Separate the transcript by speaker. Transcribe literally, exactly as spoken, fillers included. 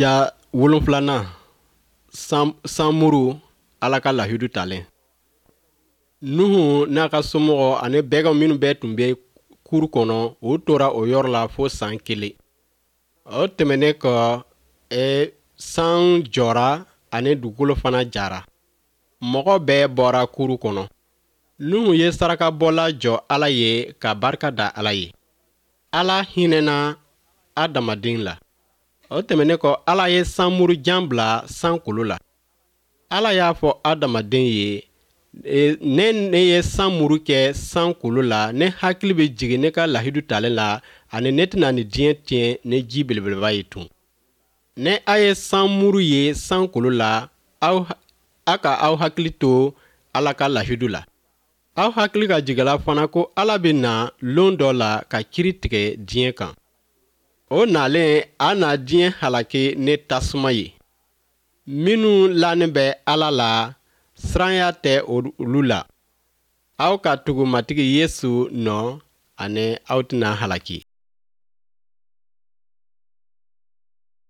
Speaker 1: Ja wolonfilanan, sanmuru, Ala ka lahidu talen. Nuhu n'a ka somɔgɔ ani bɛgan minnu bɛɛ tun bɛ kuru kɔnɔ, u tora o yɔrɔ la fo san kelen. O tɛmɛnen kɔ, e, san jɔra ani dugukolo fana jara. Mɔgɔ bɛɛ bɔra kuru kɔnɔ. Nuhu ye sarakabɔla jɔ Ala ye ka barika da Ala ye. Ala hinɛna adamaden la. O tɛmɛnen kɔ, Ala ye sanmurujan bila sankolo la. Ala y'a fɔ adamaden ye: e, ne ne ye sanmuru kɛ sankolo la, ne hakili bɛ jigin ne ka lahidu talen la, ani ne tɛna nin diɲɛ tiɲɛ ni ji belebeleba ye tun. Ne a ye sanmuru ye sankolo la, aw a ka aw hakili to Ala ka lahidu la. Aw hakili ka jigin fana ko Ala bɛ na lon dɔ la ka kiri tigɛ diɲɛ kan. O nalen, a na diɲɛ halaki ne tasuma ye. Minnu lanen bɛ Ala la, siranya tɛ olu la. Aw ka tugu Matigi Yesu nɔ, ani aw tɛna halaki.